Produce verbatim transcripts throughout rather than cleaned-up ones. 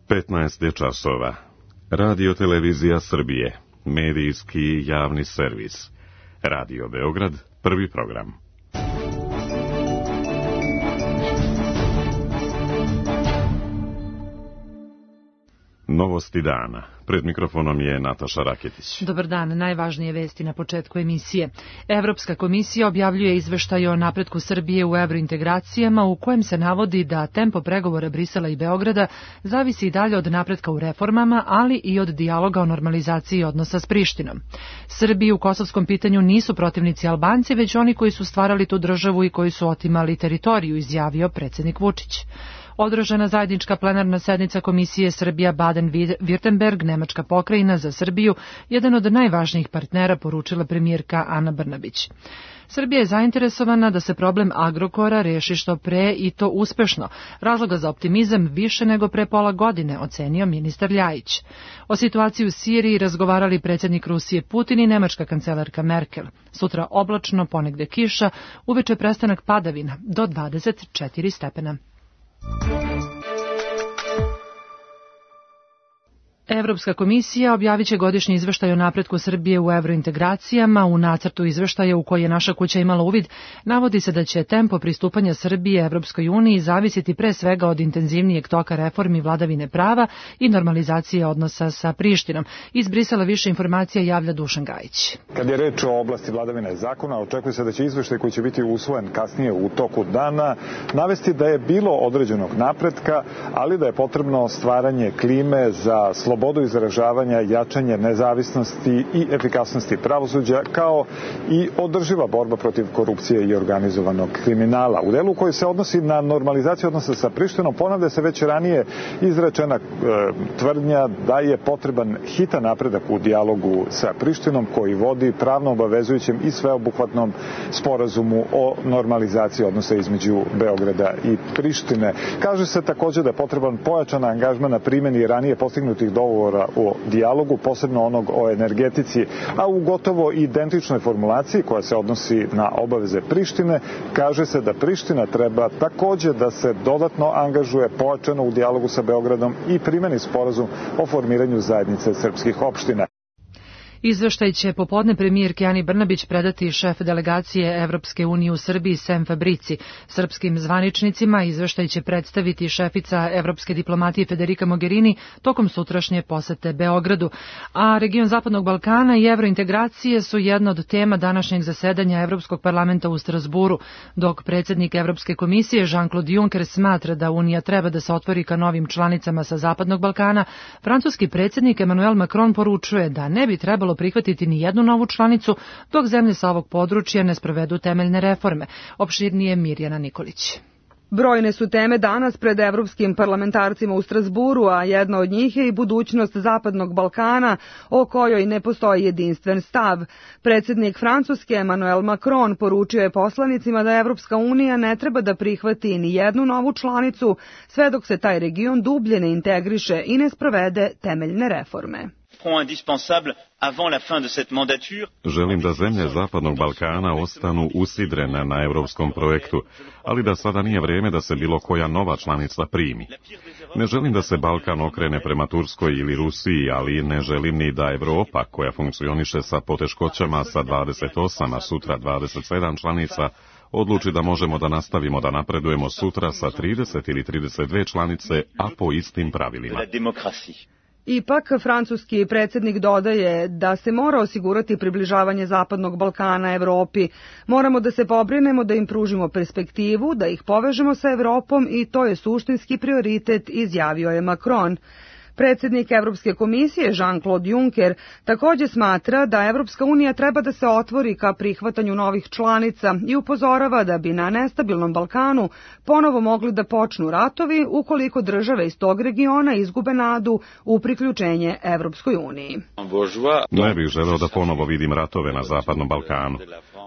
petnaest je časova. Radio Televizija Srbije, medijski javni servis. Radio Beograd, prvi program. Novosti dana. Pred mikrofonom je Nataša Raketić. Dobar dan, najvažnije vesti na početku emisije. Evropska komisija objavljuje izveštaj o napretku Srbije u evrointegracijama u kojem se navodi da tempo pregovora Brisela i Beograda zavisi i dalje od napretka u reformama, ali i od dijaloga o normalizaciji odnosa s Prištinom. Srbiji u kosovskom pitanju nisu protivnici Albanci, već oni koji su stvarali tu državu i koji su otimali teritoriju, izjavio predsjednik Vučić. Održana zajednička plenarna sednica Komisije Srbija Baden-Württemberg, Nemačka pokrajina za Srbiju, jedan od najvažnijih partnera, poručila premijerka Ana Brnabić. Srbija je zainteresovana da se problem Agrokora reši što pre i to uspešno. Razloga za optimizam više nego pre pola godine, ocenio ministar Ljajić. O situaciji u Siriji razgovarali predsjednik Rusije Putin i nemačka kancelarka Merkel. Sutra oblačno, ponegde kiša, uveče prestanak padavina do dvadeset četiri stepena. Evropska komisija objavit će godišnji izveštaj o napretku Srbije u evrointegracijama. U nacrtu izveštaja u koji je naša kuća imala uvid, navodi se da će tempo pristupanja Srbije Evropskoj uniji zavisiti pre svega od intenzivnijeg toka reformi vladavine prava i normalizacije odnosa sa Prištinom. Iz Brisela više informacija javlja Dušan Gajić. Kad je reč o oblasti vladavine zakona, očekuje se da će izveštaj koji će biti usvojen kasnije u toku dana navesti da je bilo određenog napretka, ali da je potrebno stvaranje klime za slobodu slobodu izražavanja, jačanje nezavisnosti i efikasnosti pravosuđa, kao i održiva borba protiv korupcije i organizovanog kriminala. U delu koji se odnosi na normalizaciju odnosa sa Prištinom, ponavlja se već ranije izrečena e, tvrdnja da je potreban hitan napredak u dijalogu sa Prištinom koji vodi pravno obavezujućem i sveobuhvatnom sporazumu o normalizaciji odnosa između Beograda i Prištine. Kaže se također da je potreban pojačan angažman na primjeni ranije postignutih dogovora o dijalogu, posebno onog o energetici, a u gotovo identičnoj formulaciji koja se odnosi na obaveze Prištine, kaže se da Priština treba također da se dodatno angažuje pojačano u dijalogu sa Beogradom i primjeni sporazum o formiranju zajednice srpskih opština. Izveštaj će popodne premijerki Ani Brnabić predati šef delegacije Evropske unije u Srbiji Sem Fabrici. Srpskim zvaničnicima izveštaj će predstaviti šefica evropske diplomatije Federica Mogherini tokom sutrašnje posete Beogradu. A region Zapadnog Balkana i evrointegracije su jedna od tema današnjeg zasedanja Evropskog parlamenta u Strasburu, dok predsjednik Evropske komisije Jean-Claude Juncker smatra da Unija treba da se otvori ka novim članicama sa Zapadnog Balkana. Francuski predsjednik Emmanuel Macron poručuje da ne bi trebalo prihvatiti ni jednu novu članicu dok zemlje sa ovog područja ne sprovedu temeljne reforme. Opširnije Mirjana Nikolić. Brojne su teme danas pred evropskim parlamentarcima u Strasburu, a jedna od njih je i budućnost Zapadnog Balkana, o kojoj ne postoji jedinstven stav. Predsjednik Francuske Emmanuel Macron poručio je poslanicima da Evropska unija ne treba da prihvati ni jednu novu članicu, sve dok se taj region dublje ne integriše i ne sprovede temeljne reforme. Želim da zemlje Zapadnog Balkana ostanu usidrene na evropskom projektu, ali da sada nije vrijeme da se bilo koja nova članica primi. Ne želim da se Balkan okrene prema Turskoj ili Rusiji, ali ne želim ni da Evropa, koja funkcioniše sa poteškoćama sa dvadeset osam, a sutra dvadeset sedam članica, odluči da možemo da nastavimo da napredujemo sutra sa trideset ili trideset dve članice, a po istim pravilima. Ipak, francuski predsjednik dodaje da se mora osigurati približavanje Zapadnog Balkana Evropi. Moramo da se pobrinemo da im pružimo perspektivu, da ih povežemo sa Evropom i to je suštinski prioritet, izjavio je Macron. Predsjednik Evropske komisije Jean-Claude Juncker također smatra da Evropska unija treba da se otvori ka prihvatanju novih članica i upozorava da bi na nestabilnom Balkanu ponovo mogli da počnu ratovi ukoliko države iz tog regiona izgube nadu u priključenje Evropskoj uniji. Ne bih želeo da ponovo vidim ratove na Zapadnom Balkanu.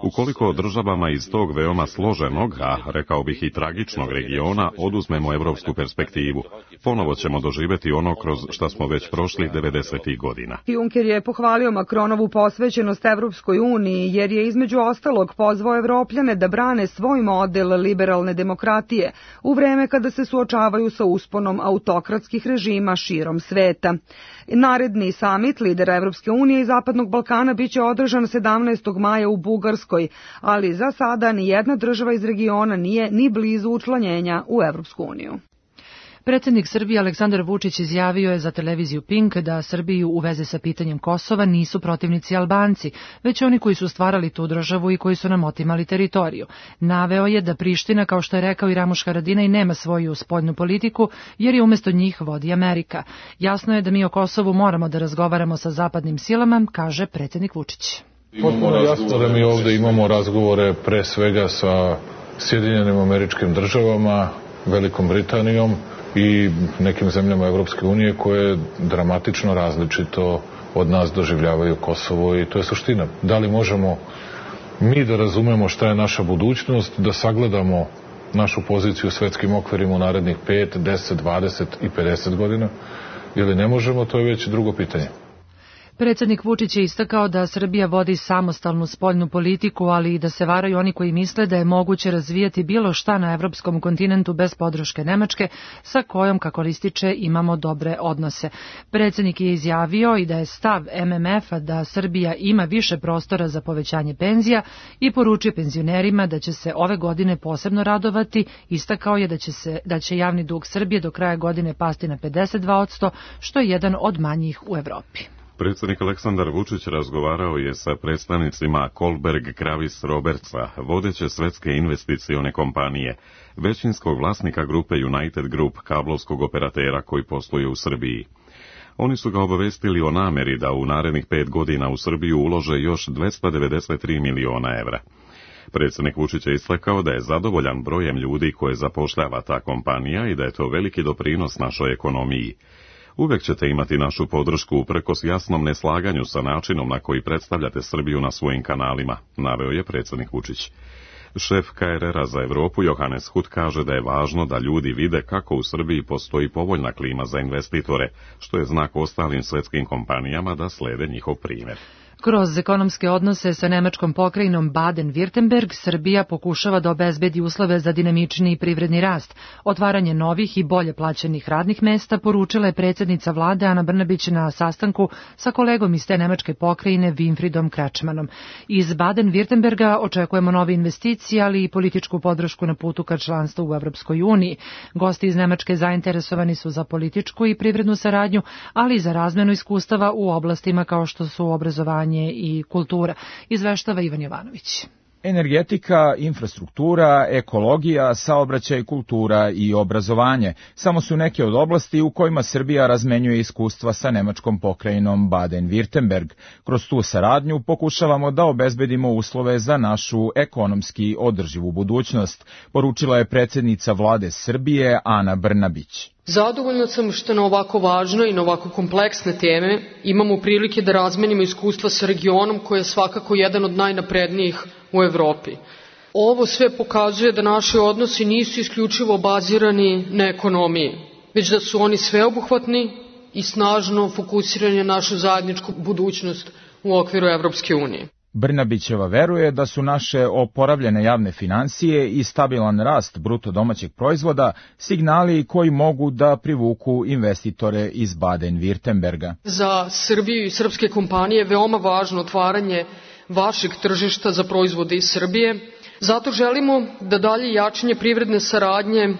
Ukoliko državama iz tog veoma složenog, a rekao bih i tragičnog regiona, oduzmemo evropsku perspektivu, ponovo ćemo doživjeti ono kroz kroz šta smo već prošli devedesetih godina. Juncker je pohvalio Macronovu posvećenost Evropskoj uniji jer je između ostalog pozvao Evropljane da brane svoj model liberalne demokratije u vreme kada se suočavaju sa usponom autokratskih režima širom sveta. Naredni samit lidera Evropske unije i Zapadnog Balkana biće održan sedamnaestog maja u Bugarskoj, ali za sada ni jedna država iz regiona nije ni blizu učlanjenja u Evropsku uniju. Predsjednik Srbije Aleksandar Vučić izjavio je za televiziju Pink da Srbiju u vezi sa pitanjem Kosova nisu protivnici Albanci, već oni koji su stvarali tu državu i koji su nam otimali teritoriju. Naveo je da Priština, kao što je rekao i Ramuš Haradinaj, nema svoju spoljnu politiku jer je umjesto njih vodi Amerika. Jasno je da mi o Kosovu moramo da razgovaramo sa zapadnim silama, kaže predsjednik Vučić. Potpuno jasno da mi ovdje imamo razgovore pre svega sa Sjedinjenim Američkim Državama, Velikom Britanijom i nekim zemljama Evropske unije koje dramatično različito od nas doživljavaju Kosovo i to je suština. Da li možemo mi da razumemo šta je naša budućnost, da sagledamo našu poziciju u svetskim okvirima u narednih pet, deset, dvadeset i pedeset godina ili ne možemo, to je već drugo pitanje. Predsjednik Vučić je istakao da Srbija vodi samostalnu spoljnu politiku, ali i da se varaju oni koji misle da je moguće razvijati bilo šta na evropskom kontinentu bez podrške Nemačke, sa kojom, kako ističe, imamo dobre odnose. Predsjednik je izjavio i da je stav M M F-a da Srbija ima više prostora za povećanje penzija i poručio penzionerima da će se ove godine posebno radovati. Istakao je da će, se, da će javni dug Srbije do kraja godine pasti na pedeset dva posto, što je jedan od manjih u Evropi. Predsjednik Aleksandar Vučić razgovarao je sa predstavnicima Kohlberg Kravis Robertsa, vodeće svetske investicione kompanije, većinskog vlasnika grupe United Group, kablovskog operatera koji posluje u Srbiji. Oni su ga obavestili o nameri da u narednih pet godina u Srbiju ulože još dvesta devedeset tri miliona evra. Predsjednik Vučić je istakao da je zadovoljan brojem ljudi koje zapošljava ta kompanija i da je to veliki doprinos našoj ekonomiji. Uvek ćete imati našu podršku uprkos jasnom neslaganju sa načinom na koji predstavljate Srbiju na svojim kanalima, naveo je predsjednik Vučić. Šef K R R-a za Evropu Johannes Hut kaže da je važno da ljudi vide kako u Srbiji postoji povoljna klima za investitore, što je znak ostalim svetskim kompanijama da slede njihov primjer. Kroz ekonomske odnose sa nemačkom pokrajinom Baden-Württemberg, Srbija pokušava da obezbedi uslove za dinamičniji privredni rast. Otvaranje novih i bolje plaćenih radnih mesta poručila je predsjednica vlade Ana Brnabić na sastanku sa kolegom iz te nemačke pokrajine Winfriedom Kretschmannom. Iz Baden-Württemberga očekujemo nove investicije, ali i političku podršku na putu ka članstvu u Evropskoj uniji. Gosti iz Nemačke zainteresovani su za političku i privrednu saradnju, ali i za razmenu iskustava u oblastima kao što su obrazovanje i kultura, izveštava Ivan Jovanović. Energetika, infrastruktura, ekologija, saobraćaj, kultura i obrazovanje samo su neke od oblasti u kojima Srbija razmenjuje iskustva sa nemačkom pokrajinom Baden-Württemberg. Kroz tu saradnju pokušavamo da obezbedimo uslove za našu ekonomski održivu budućnost, poručila je predsjednica vlade Srbije Ana Brnabić. Zadovoljna sam što na ovako važne i na ovako kompleksne teme imamo prilike da razmenimo iskustva sa regionom koji je svakako jedan od najnaprednijih u Evropi. Ovo sve pokazuje da naši odnosi nisu isključivo bazirani na ekonomiji, već da su oni sveobuhvatni i snažno fokusirani na našu zajedničku budućnost u okviru Evropske unije. Brnabićeva veruje da su naše oporavljene javne financije i stabilan rast bruto domaćeg proizvoda signali koji mogu da privuku investitore iz Baden-Württemberga. Za Srbiju i srpske kompanije je veoma važno otvaranje vašeg tržišta za proizvode iz Srbije. Zato želimo da dalje jačanje privredne saradnje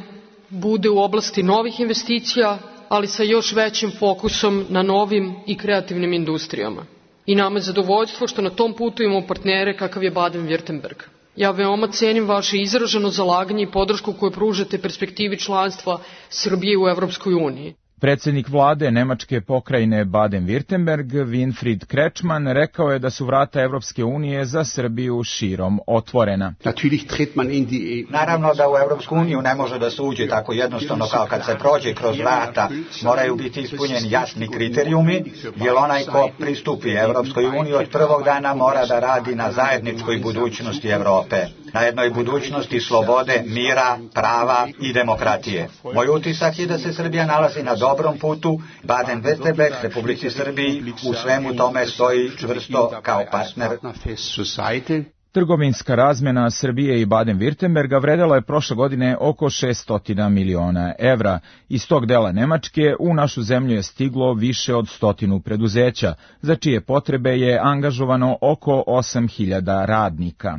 bude u oblasti novih investicija, ali sa još većim fokusom na novim i kreativnim industrijama. I nama je zadovoljstvo što na tom putu imamo partnere kakav je Baden-Württemberg. Ja veoma cenim vaše izraženo zalaganje i podršku koju pružate perspektivi članstva Srbije u Evropskoj uniji. Predsjednik vlade nemačke pokrajine Baden-Württemberg, Winfried Kretschmann, rekao je da su vrata Evropske unije za Srbiju širom otvorena. Naravno da u Evropsku uniju ne može da se uđe tako jednostavno kao kad se prođe kroz vrata. Moraju biti ispunjeni jasni kriterijumi, jer onaj ko pristupi Evropskoj uniji od prvog dana mora da radi na zajedničkoj budućnosti Evrope. na jednoj budućnosti slobode, mira, prava i demokratije. Moj utisak je da se Srbija nalazi na dobrom putu. Baden-Württemberg, Republici Srbiji, u svemu tome stoji čvrsto kao partner. Trgovinska razmjena Srbije i Baden-Württemberga vredela je prošle godine oko šesto miliona evra. Iz tog dela Nemačke u našu zemlju je stiglo više od stotinu preduzeća, za čije potrebe je angažovano oko osam hiljada radnika.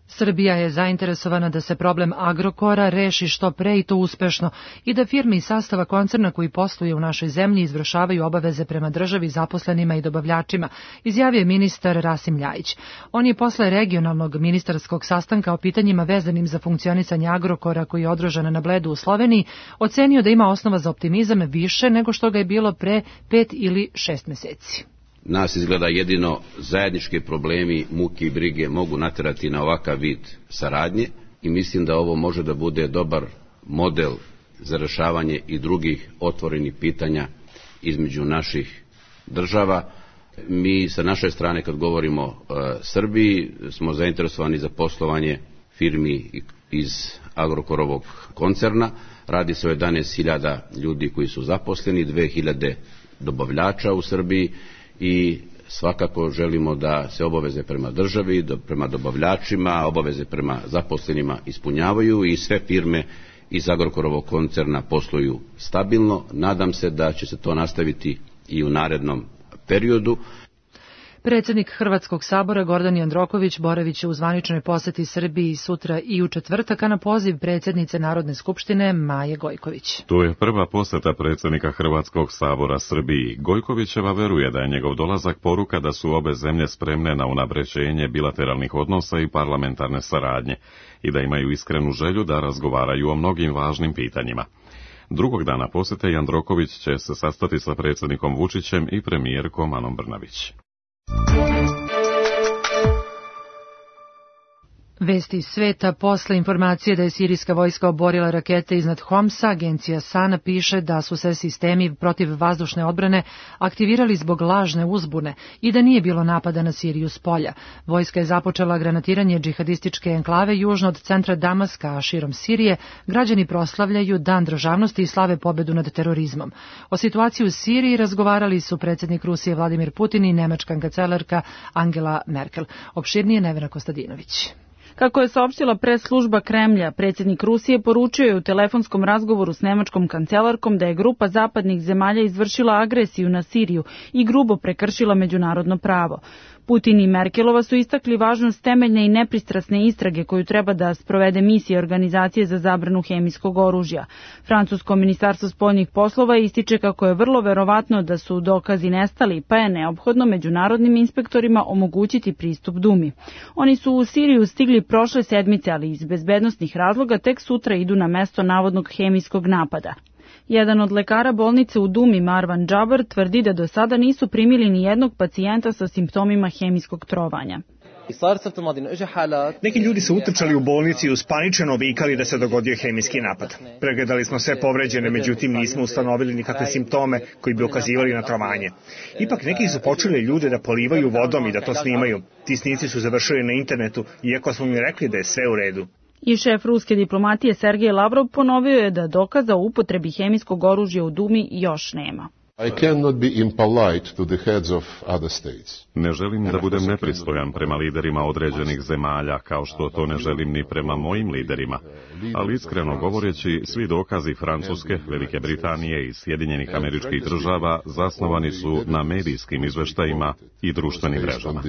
Srbija je zainteresovana da se problem Agrokora reši što pre i to uspešno i da firme iz sastava koncerna koji posluje u našoj zemlji izvršavaju obaveze prema državi, zaposlenima i dobavljačima, izjavio je ministar Rasim Ljajić. On je posle regionalnog ministarskog sastanka o pitanjima vezanim za funkcionisanje Agrokora koji je održan na Bledu u Sloveniji ocenio da ima osnova za optimizam više nego što ga je bilo pre pet ili šest meseci. Nas izgleda jedino zajednički problemi, muke i brige mogu naterati na ovakav vid saradnje i mislim da ovo može da bude dobar model za rešavanje i drugih otvorenih pitanja između naših država. Mi sa naše strane kad govorimo o Srbiji smo zainteresovani za poslovanje firmi iz Agrokorovog koncerna. Radi se o jedanaest hiljada ljudi koji su zaposleni, dve hiljade dobavljača u Srbiji i svakako želimo da se obaveze prema državi, prema dobavljačima, obaveze prema zaposlenima ispunjavaju i sve firme iz Agrokorovog koncerna posluju stabilno. Nadam se da će se to nastaviti i u narednom periodu. Predsjednik Hrvatskog sabora Gordan Jandroković boravit će u zvaničnoj poseti Srbiji sutra i u četvrtak, a na poziv predsjednice Narodne skupštine Maje Gojković. To je prva poseta predsjednika Hrvatskog sabora Srbiji. Gojkovićeva veruje da je njegov dolazak poruka da su obe zemlje spremne na unapređenje bilateralnih odnosa i parlamentarne saradnje i da imaju iskrenu želju da razgovaraju o mnogim važnim pitanjima. Drugog dana posete Jandroković će se sastati sa predsjednikom Vučićem i premijerkom Anom Brnabić. Vesti iz sveta. Posle informacije da je sirijska vojska oborila rakete iznad Homsa, agencija Sana piše da su se sistemi protiv vazdušne odbrane aktivirali zbog lažne uzbune i da nije bilo napada na Siriju s polja. Vojska je započela granatiranje džihadističke enklave južno od centra Damaska, a širom Sirije građani proslavljaju Dan državnosti i slave pobedu nad terorizmom. O situaciji u Siriji razgovarali su predsjednik Rusije Vladimir Putin i nemačka kancelarka Angela Merkel. Opširnije Nevena Kostadinović. Kako je saopštila pres služba Kremlja, predsjednik Rusije poručio je u telefonskom razgovoru s nemačkom kancelarkom da je grupa zapadnih zemalja izvršila agresiju na Siriju i grubo prekršila međunarodno pravo. Putin i Merkelova su istakli važnost temeljne i nepristrasne istrage koju treba da sprovede misija Organizacije za zabranu hemijskog oružja. Francusko ministarstvo spoljnih poslova ističe kako je vrlo verovatno da su dokazi nestali, pa je neophodno međunarodnim inspektorima omogućiti pristup Dumi. Oni su u Siriju stigli prošle sedmice, ali iz bezbednosnih razloga tek sutra idu na mesto navodnog hemijskog napada. Jedan od lekara bolnice u Dumi, Marwan Džabar, tvrdi da do sada nisu primili ni jednog pacijenta sa simptomima hemijskog trovanja. Neki ljudi su utrčali u bolnici i uspaničeno vikali da se dogodio hemijski napad. Pregledali smo sve povređene, međutim nismo ustanovili nikakve simptome koji bi ukazivali na trovanje. Ipak neki su počeli ljude da polivaju vodom i da to snimaju. Ti snici su završili na internetu, iako smo mi rekli da je sve u redu. I šef ruske diplomatije Sergej Lavrov ponovio je da dokaza o upotrebi hemijskog oružja u Dumi još nema. I cannot be impolite to the heads of other states. Ne želim da budem nepristojan prema liderima određenih zemalja, kao što to ne želim ni prema mojim liderima. Ali iskreno govoreći, svi dokazi Francuske, Velike Britanije i Sjedinjenih Američkih Država zasnovani su na medijskim izveštajima i društvenim mrežama.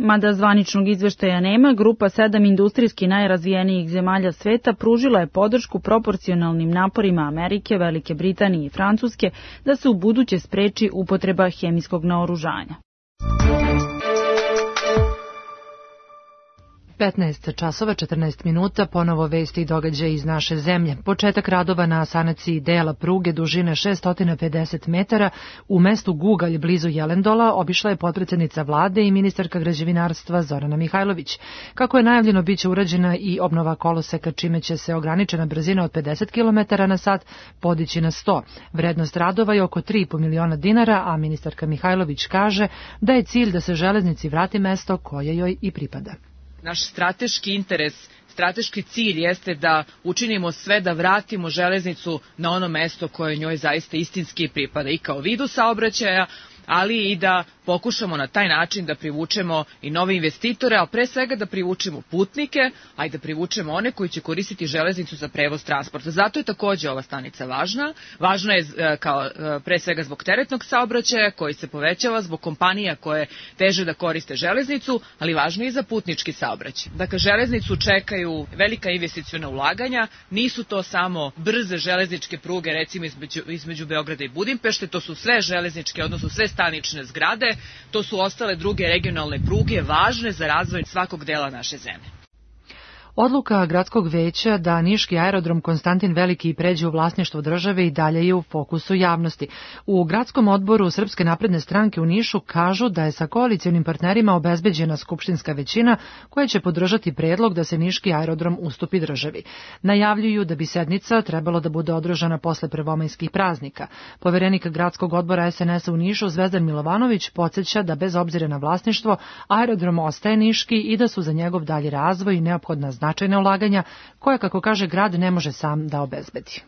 Mada zvaničnog izveštaja nema, grupa sedam industrijski najrazvijenijih zemalja sveta pružila je podršku proporcionalnim naporima Amerike, Velike Britanije i Francuske da se u buduće spreči upotreba hemijskog naoružanja. petnaest časova četrnaest minuta, ponovo vesti i događaje iz naše zemlje. Početak radova na sanaciji dela pruge dužine šesto pedeset metara u mestu Gugalj blizu Jelendola obišla je potpredsednica vlade i ministarka građevinarstva Zorana Mihajlović. Kako je najavljeno, biće urađena i obnova koloseka, čime će se ograničena brzina od pedeset kilometara na sat podići na sto. Vrednost radova je oko tri i po miliona dinara, a ministarka Mihajlović kaže da je cilj da se železnici vrati mesto koje joj i pripada. Naš strateški interes, strateški cilj jeste da učinimo sve da vratimo železnicu na ono mesto koje njoj zaista istinski pripada i kao vidu saobraćaja, ali i da pokušamo na taj način da privučemo i nove investitore, a pre svega da privučemo putnike, a i da privučemo one koji će koristiti železnicu za prevoz transporta. Zato je takođe ova stanica važna. Važna je kao pre svega zbog teretnog saobraćaja koji se povećava, zbog kompanija koje teže da koriste železnicu, ali važno je i za putnički saobraćaj. Dakle, železnicu čekaju velika investiciona ulaganja, nisu to samo brze železničke pruge, recimo između, između Beograda i Budimpešte, to su sve železničke, odnosno sve stanične zgrade, to su ostale druge regionalne pruge važne za razvoj svakog dela naše zemlje. Odluka gradskog veća da niški aerodrom Konstantin Veliki pređe u vlasništvo države i dalje je u fokusu javnosti. U gradskom odboru Srpske napredne stranke u Nišu kažu da je sa koalicionim partnerima obezbeđena skupštinska većina koja će podržati predlog da se niški aerodrom ustupi državi. Najavljuju da bi sednica trebalo da bude održana posle prvomajskih praznika. Poverenik gradskog odbora es en es a u Nišu Zvezdan Milovanović podsjeća da bez obzira na vlasništvo aerodrom ostaje niški i da su za njegov dalji razvoj neophodna značajna ulaganja koje, kako kaže grad, ne može sam da obezbedi.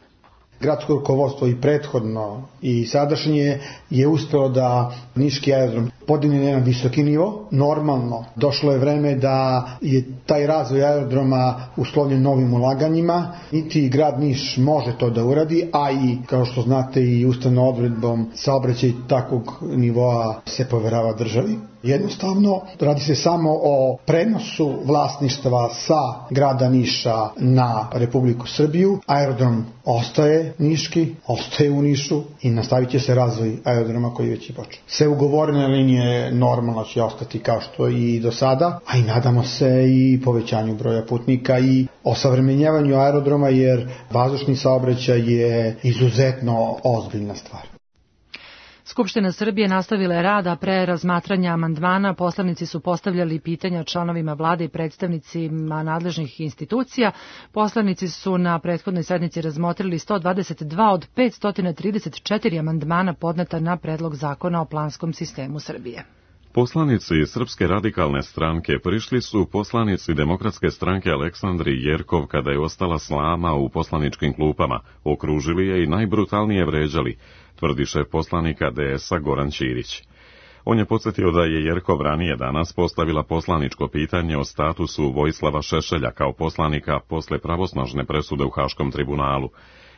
Gradsko rukovodstvo i prethodno i sadašnje je uspelo da niški aerodrom podigne na jedan visoki nivo. Normalno, došlo je vreme da je taj razvoj aerodroma uslovljen novim ulaganjima. Niti grad Niš može to da uradi, a i, kao što znate, i ustavnom odredbom saobraćaj takvog nivoa se poverava državi. Jednostavno, radi se samo o prenosu vlasništva sa grada Niša na Republiku Srbiju. Aerodrom ostaje niški, ostaje u Nišu i nastavit će se razvoj aerodroma koji već je počeo. Sve ugovorene linije normalno će ostati kao što i do sada, a i nadamo se i povećanju broja putnika i osavremenjavanju aerodroma, jer vazdušni saobraćaj je izuzetno ozbiljna stvar. Skupština Srbije nastavila je rad, a pre razmatranja amandmana poslanici su postavljali pitanja članovima vlade i predstavnicima nadležnih institucija. Poslanici su na prethodnoj sednici razmotrili sto dvadeset dva od petsto trideset četiri amandmana podneta na predlog zakona o planskom sistemu Srbije. Poslanici Srpske radikalne stranke prišli su poslanici Demokratske stranke Aleksandri Jerkov kada je ostala slama u poslaničkim klupama, okružili je i najbrutalnije vređali, tvrdi šef poslanika de es a Goran Ćirić. On je podsjetio da je Jerkov ranije danas postavila poslaničko pitanje o statusu Vojislava Šešelja kao poslanika posle pravosnažne presude u Haškom tribunalu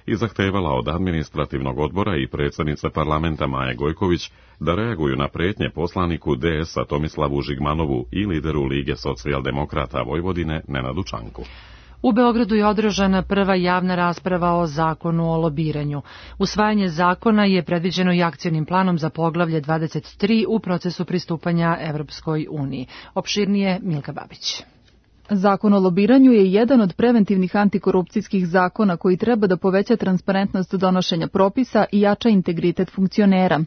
i zahtevala od administrativnog odbora i predsjednice parlamenta Maje Gojković da reaguju na pretnje poslaniku de es a Tomislavu Žigmanovu i lideru Lige socijaldemokrata Vojvodine Nenadu Čanku. U Beogradu je održana prva javna rasprava o zakonu o lobiranju. Usvajanje zakona je predviđeno i akcionim planom za poglavlje dvadeset tri u procesu pristupanja Evropskoj uniji. Opširnije Milka Babić. Zakon o lobiranju je jedan od preventivnih antikorupcijskih zakona koji treba da poveća transparentnost donošenja propisa i jača integritet funkcionera.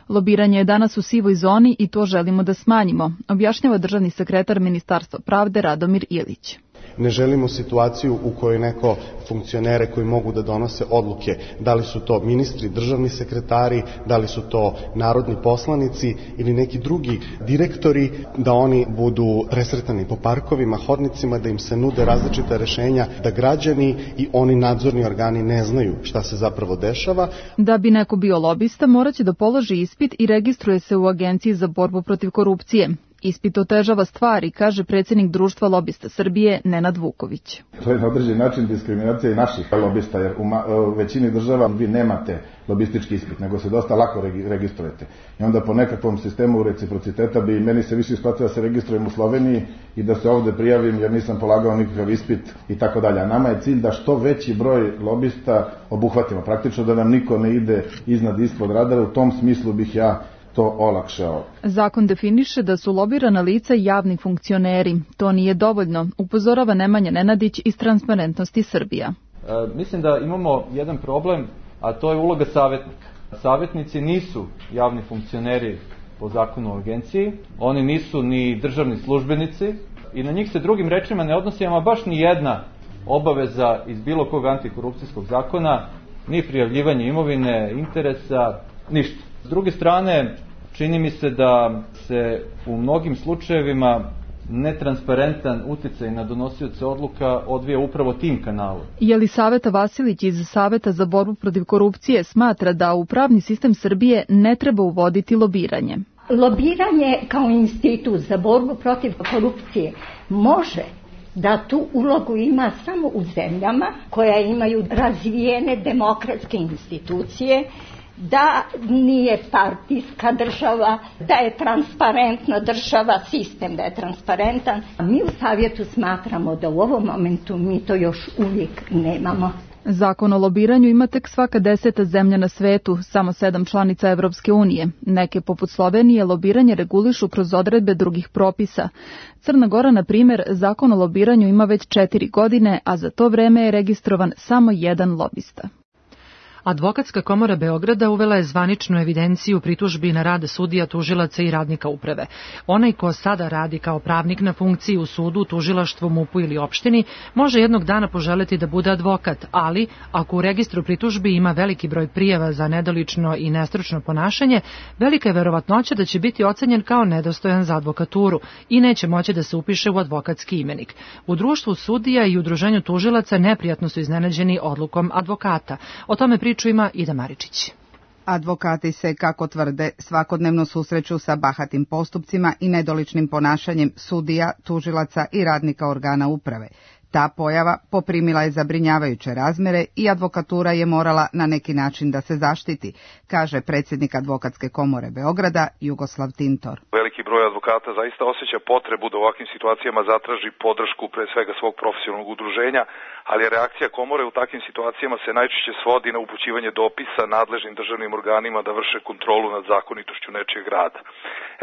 Lobiranje je danas u sivoj zoni i to želimo da smanjimo, objašnjava državni sekretar Ministarstva pravde Radomir Ilić. Ne želimo situaciju u kojoj neko funkcionere koji mogu da donose odluke, da li su to ministri, državni sekretari, da li su to narodni poslanici ili neki drugi direktori, da oni budu presretani po parkovima, hodnicima, da im se nude različita rešenja, da građani i oni nadzorni organi ne znaju šta se zapravo dešava. Da bi neko bio lobista, moraće da položi ispit i registruje se u Agenciji za borbu protiv korupcije. Ispit otežava stvari, kaže predsjednik Društva lobista Srbije Nenad Vuković. To je na određen način diskriminacija i naših lobista, jer u, ma, u većini država vi nemate lobistički ispit, nego se dosta lako registrujete. I onda po nekakvom sistemu reciprociteta bi meni se više isplatilo da se registrujem u Sloveniji i da se ovde prijavim jer nisam polagao nikakav ispit i tako dalje. A nama je cilj da što veći broj lobista obuhvatimo, praktično da nam niko ne ide iznad ispod radara. U tom smislu bih ja to olakšao. Zakon definiše da su lobirana lica javni funkcioneri. To nije dovoljno, upozorava Nemanja Nenadić iz Transparentnosti Srbija. E, mislim da imamo jedan problem, a to je uloga savjetnika. Savjetnici nisu javni funkcioneri po zakonu o agenciji, oni nisu ni državni službenici i na njih se drugim rečima ne odnosi ama baš ni jedna obaveza iz bilo kog antikorupcijskog zakona, ni prijavljivanje imovine, interesa, ništa. S druge strane, čini mi se da se u mnogim slučajevima netransparentan uticaj na donosioce odluka odvija upravo tim kanalom. Jelisaveta Vasilić iz Saveta za borbu protiv korupcije smatra da u pravni sistem Srbije ne treba uvoditi lobiranje. Lobiranje kao institut za borbu protiv korupcije može da tu ulogu ima samo u zemljama koja imaju razvijene demokratske institucije, da nije partijska država, da je transparentna država, sistem da je transparentan. Mi u Savjetu smatramo da u ovom momentu mi to još uvijek nemamo. Zakon o lobiranju ima tek svaka deseta zemlja na svetu, samo sedam članica Evropske unije. Neke, poput Slovenije, lobiranje regulišu kroz odredbe drugih propisa. Crna Gora, na primjer, zakon o lobiranju ima već četiri godine, a za to vreme je registrovan samo jedan lobista. Advokatska komora Beograda uvela je zvaničnu evidenciju pritužbi na rad sudija, tužilaca i radnika uprave. Onaj ko sada radi kao pravnik na funkciji u sudu, tužilaštvu, mupu ili opštini, može jednog dana poželeti da bude advokat, ali ako u registru pritužbi ima veliki broj prijava za nedolično i nestručno ponašanje, velika je verovatnoća da će biti ocenjen kao nedostojan za advokaturu i neće moći da se upiše u advokatski imenik. U društvu sudija i udruženju tužilaca neprijatno su iznenađeni odlukom advokata. O tome priču ima Ida Maričić. Advokati se, kako tvrde, svakodnevno susreću sa bahatim postupcima i nedoličnim ponašanjem sudija, tužilaca i radnika organa uprave. Ta pojava poprimila je zabrinjavajuće razmere i advokatura je morala na neki način da se zaštiti, kaže predsjednik Advokatske komore Beograda Jugoslav Tintor. Veliki broj advokata zaista osjeća potrebu da u ovakvim situacijama zatraži podršku pre svega svog profesionalnog udruženja, ali reakcija komore u takvim situacijama se najčešće svodi na upućivanje dopisa nadležnim državnim organima da vrše kontrolu nad zakonitošću nečijeg rada.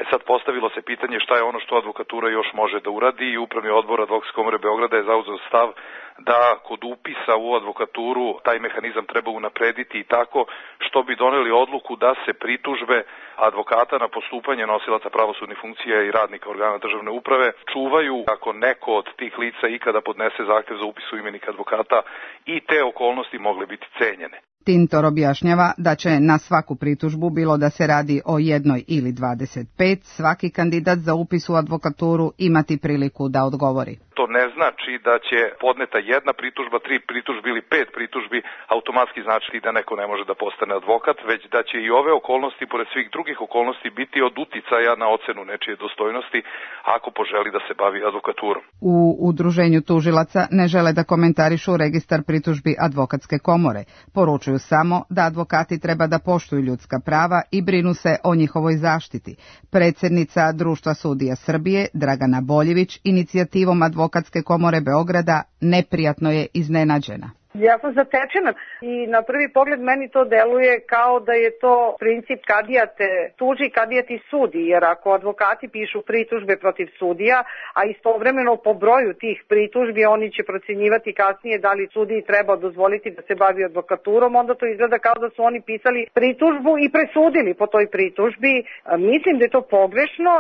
E sad postavilo se pitanje šta je ono što advokatura još može da uradi i Upravni odbor Advokatske komore Beograda je zauzeo stav da kod upisa u advokaturu taj mehanizam treba unaprediti i tako što bi doneli odluku da se pritužbe advokata na postupanje nosilaca pravosudnih funkcija i radnika organa državne uprave čuvaju ako neko od tih lica ikada podnese zahtev za upis u imenik advokata i te okolnosti mogle biti cenjene. Tintor objašnjava da će na svaku pritužbu, bilo da se radi o jednoj ili dvadeset pet, svaki kandidat za upis u advokaturu imati priliku da odgovori. To ne znači da će podneta jedna pritužba, tri pritužbi ili pet pritužbi automatski znači da neko ne može da postane advokat, već da će i ove okolnosti, pored svih drugih okolnosti, biti od uticaja na ocenu nečije dostojnosti ako poželi da se bavi advokaturom. U udruženju tužilaca ne žele da komentarišu registar pritužbi Advokatske komore. Poručuju samo da advokati treba da poštuju ljudska prava i brinu se o njihovoj zaštiti. Predsjednica Društva sudija Srbije, Dragana Boljević, inicijativom Advokatske komore Beograda neprijatno je iznenađena. Ja sam zatečena i na prvi pogled meni to deluje kao da je to princip kadija te tuži, kadija ti sudi, jer ako advokati pišu pritužbe protiv sudija, a istovremeno po broju tih pritužbi oni će procjenjivati kasnije da li sudiji treba dozvoliti da se bavi advokaturom, onda to izgleda kao da su oni pisali pritužbu i presudili po toj pritužbi. Mislim da je to pogrešno,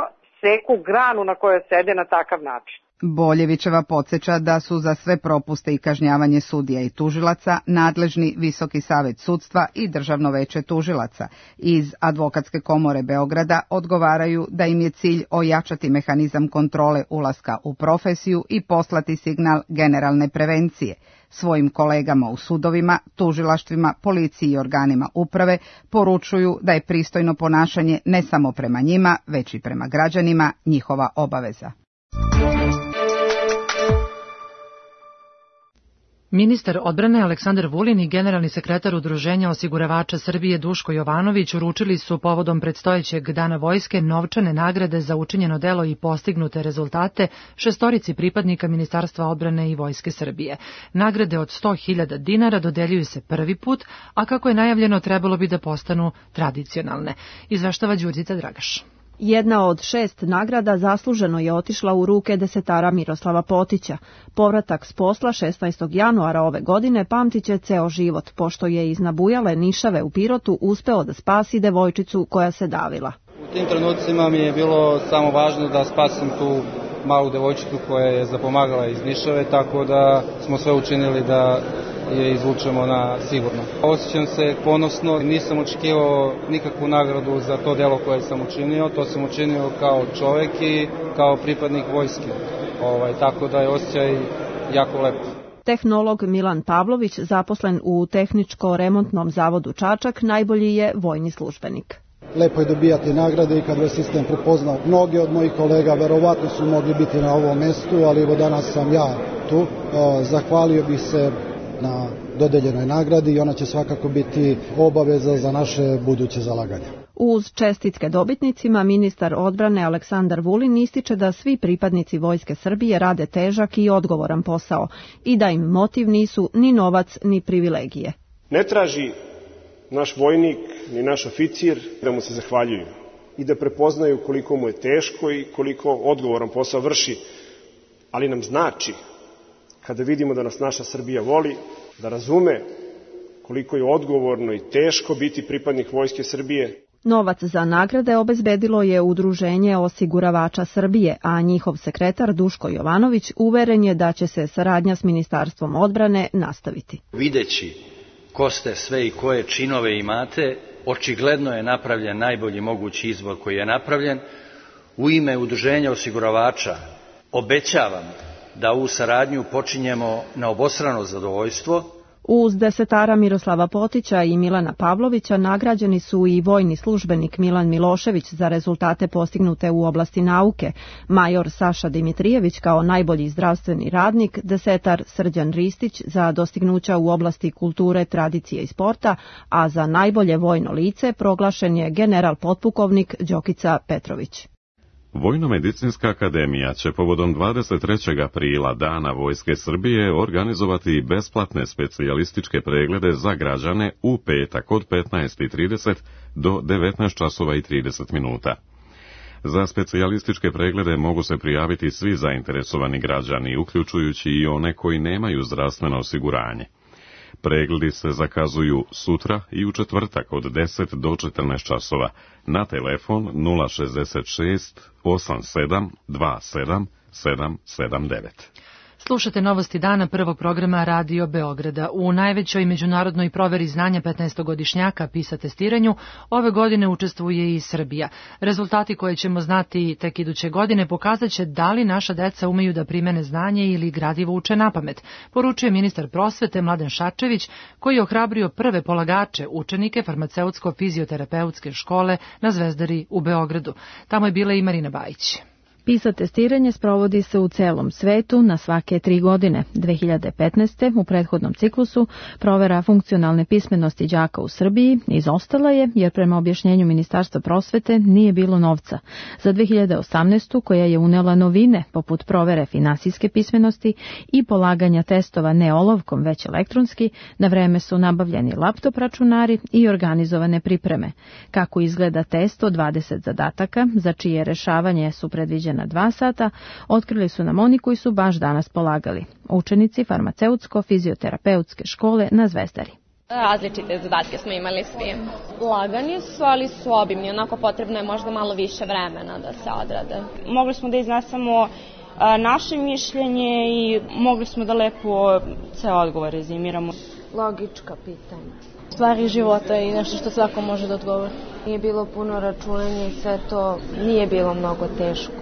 seku granu na kojoj sede na takav način. Boljevićeva podsjeća da su za sve propuste i kažnjavanje sudija i tužilaca nadležni Visoki savet sudstva i Državno veće tužilaca. Iz Advokatske komore Beograda odgovaraju da im je cilj ojačati mehanizam kontrole ulaska u profesiju i poslati signal generalne prevencije. Svojim kolegama u sudovima, tužilaštvima, policiji i organima uprave poručuju da je pristojno ponašanje ne samo prema njima, već i prema građanima njihova obaveza. Ministar odbrane Aleksandar Vulin i generalni sekretar Udruženja osiguravača Srbije Duško Jovanović uručili su povodom predstojećeg Dana vojske novčane nagrade za učinjeno delo i postignute rezultate šestorici pripadnika Ministarstva odbrane i Vojske Srbije. Nagrade od sto hiljada dinara dodeljuju se prvi put, a kako je najavljeno trebalo bi da postanu tradicionalne. Izveštava Đurđica Dragaš. Jedna od šest nagrada zasluženo je otišla u ruke desetara Miroslava Potića. Povratak s posla šesnaestog januara ove godine pamtiće ceo život, pošto je iz nabujale nišave u Pirotu uspeo da spasi devojčicu koja se davila. U tim trenucima mi je bilo samo važno da spasim tu malu devojčicu koja je zapomagala iz nišave, tako da smo sve učinili da je izvučemo na sigurno. Osjećam se ponosno, nisam očekivao nikakvu nagradu za to delo koje sam učinio, to sam učinio kao čovek i kao pripadnik vojske, ovaj, tako da je osjećaj jako lepo. Tehnolog Milan Pavlović, zaposlen u Tehničko-remontnom zavodu Čačak, najbolji je vojni službenik. Lepo je dobijati nagrade i kad vas sistem prepoznao. Mnogi od mojih kolega verovatno su mogli biti na ovom mestu, ali evo danas sam ja tu. Zahvalio bih se na dodeljenoj nagradi i ona će svakako biti obaveza za naše buduće zalaganje. Uz čestitke dobitnicima, ministar odbrane Aleksandar Vulin ističe da svi pripadnici Vojske Srbije rade težak i odgovoran posao i da im motiv nisu ni novac ni privilegije. Ne traži naš vojnik ni naš oficir da mu se zahvaljuju i da prepoznaju koliko mu je teško i koliko odgovoran posao vrši, ali nam znači kada vidimo da nas naša Srbija voli, da razume koliko je odgovorno i teško biti pripadnik Vojske Srbije. Novac za nagrade obezbedilo je Udruženje osiguravača Srbije, a njihov sekretar Duško Jovanović uveren je da će se saradnja s Ministarstvom odbrane nastaviti. Videći ko ste sve i koje činove imate, očigledno je napravljen najbolji mogući izbor koji je napravljen. U ime Udruženja osiguravača obećavam da ovu saradnju počinjemo na obostrano zadovoljstvo. Uz desetara Miroslava Potića i Milana Pavlovića nagrađeni su i vojni službenik Milan Milošević za rezultate postignute u oblasti nauke, major Saša Dimitrijević kao najbolji zdravstveni radnik, desetar Srđan Ristić za dostignuća u oblasti kulture, tradicije i sporta, a za najbolje vojno lice proglašen je general potpukovnik Đokica Petrović. Vojno-medicinska akademija će povodom dvadeset trećeg aprila Dana Vojske Srbije organizovati besplatne specijalističke preglede za građane u petak od petnaest i trideset do devetnaest časova i trideset minuta. Za specijalističke preglede mogu se prijaviti svi zainteresovani građani, uključujući i one koji nemaju zdravstveno osiguranje. Pregledi se zakazuju sutra i u četvrtak od deset do četrnaest časova na telefon nula šezdeset šest osam sedam dva sedam sedam sedam devet. Slušate novosti dana prvog programa Radio Beograda. U najvećoj međunarodnoj proveri znanja petnaestogodišnjaka PISA testiranju ove godine učestvuje i Srbija. Rezultati koje ćemo znati tek iduće godine pokazat će da li naša deca umeju da primene znanje ili gradivo uče napamet, poručuje ministar prosvete Mladen Šarčević, koji je ohrabrio prve polagače, učenike farmaceutsko-fizioterapeutske škole na Zvezdari u Beogradu. Tamo je bila i Marina Bajić. PISA testiranje sprovodi se u celom svetu na svake tri godine. dve hiljade petnaeste. u prethodnom ciklusu provera funkcionalne pismenosti đaka u Srbiji izostala je jer prema objašnjenju Ministarstva prosvete nije bilo novca. Za dve hiljade osamnaestu. koja je unela novine poput provere finansijske pismenosti i polaganja testova ne olovkom već elektronski, na vreme su nabavljeni laptop računari i organizovane pripreme. Kako izgleda test od dvadeset zadataka, za čije rešavanje su predviđene na dva sata, otkrili su nam oni koji su baš danas polagali. Učenici farmaceutsko-fizioterapeutske škole na Zvezdari. Različite zadatke smo imali svi. Lagani su, ali su obimni. Onako potrebno je možda malo više vremena da se odrade. Mogli smo da iznesemo naše mišljenje i mogli smo da lepo ceo odgovor rezimiramo. Logička pitanja. Stvari života i nešto što svako može da odgovori. Nije bilo puno računanja i sve to nije bilo mnogo teško.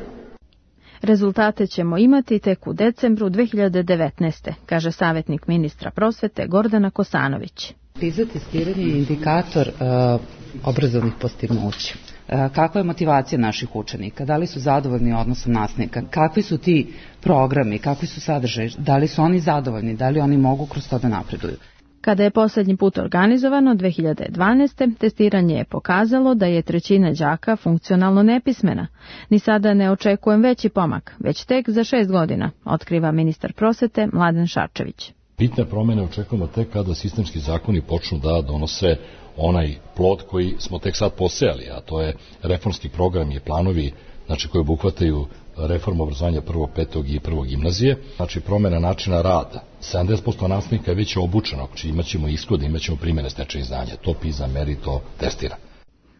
Rezultate ćemo imati tek u decembru dve hiljade devetnaeste. kaže savjetnik ministra prosvete Gordana Kosanović. PISA testiranje je indikator uh, obrazovnih postignuća. Kakva je motivacija naših učenika? Da li su zadovoljni odnosom nastavnika? Kakvi su ti programi? Kakvi su sadržaji? Da li su oni zadovoljni? Da li oni mogu kroz to da napreduju? Kada je posljednji put organizovano dve hiljade dvanaeste. testiranje je pokazalo da je trećina đaka funkcionalno nepismena. Ni sada ne očekujem veći pomak, već tek za šest godina, otkriva ministar prosvete Mladen Šarčević. Bitne promjene očekujemo tek kada sistemski zakoni počnu da donose onaj plod koji smo tek sad posejali, a to je reformski program i planovi, znači koji obuhvataju reformu obrazovanja prvog, petog i prvog gimnazije, znači promjena načina rada. sedamdeset posto nastavnika je već obučeno, znači imaćemo ishod, imaćemo primjene stečenih znanja, to PISA meri, to testira.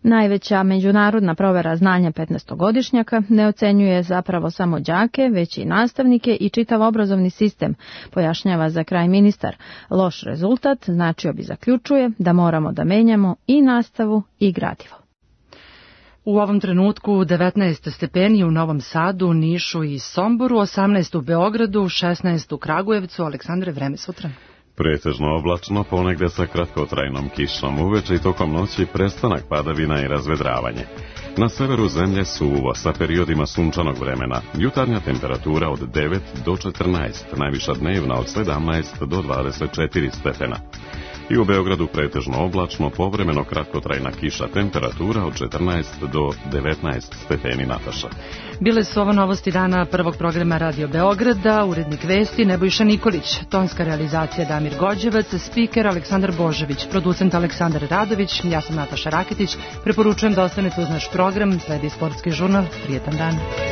Najveća međunarodna provera znanja petnaestogodišnjaka ne ocenjuje zapravo samo đake, već i nastavnike i čitav obrazovni sistem, pojašnjava za kraj ministar. Loš rezultat značio bi, zaključuje, da moramo da menjamo i nastavu i gradivo. U ovom trenutku devetnaest stepeni u Novom Sadu, Nišu i Somboru, osamnaest u Beogradu, šesnaest u Kragujevcu. Aleksandre, vreme sutra. Pretežno oblačno, ponegde sa kratkotrajnom kišom, uveče i tokom noći prestanak padavina i razvedravanje. Na severu zemlje suvo sa periodima sunčanog vremena, jutarnja temperatura od devet do četrnaest, najviša dnevna od sedamnaest do dvadeset četiri stepena. I u Beogradu pretežno oblačno, povremeno kratkotrajna kiša, temperatura od četrnaest do devetnaest stepeni. Nataša. Bile su ovo novosti dana prvog programa Radio Beograda, urednik vesti Nebojša Nikolić, tonska realizacija Damir Gođevac, spiker Aleksandar Božević, producent Aleksandar Radović, ja sam Nataša Raketić, preporučujem da ostanete uz naš program, sledi sportski žurnal, prijetan dan.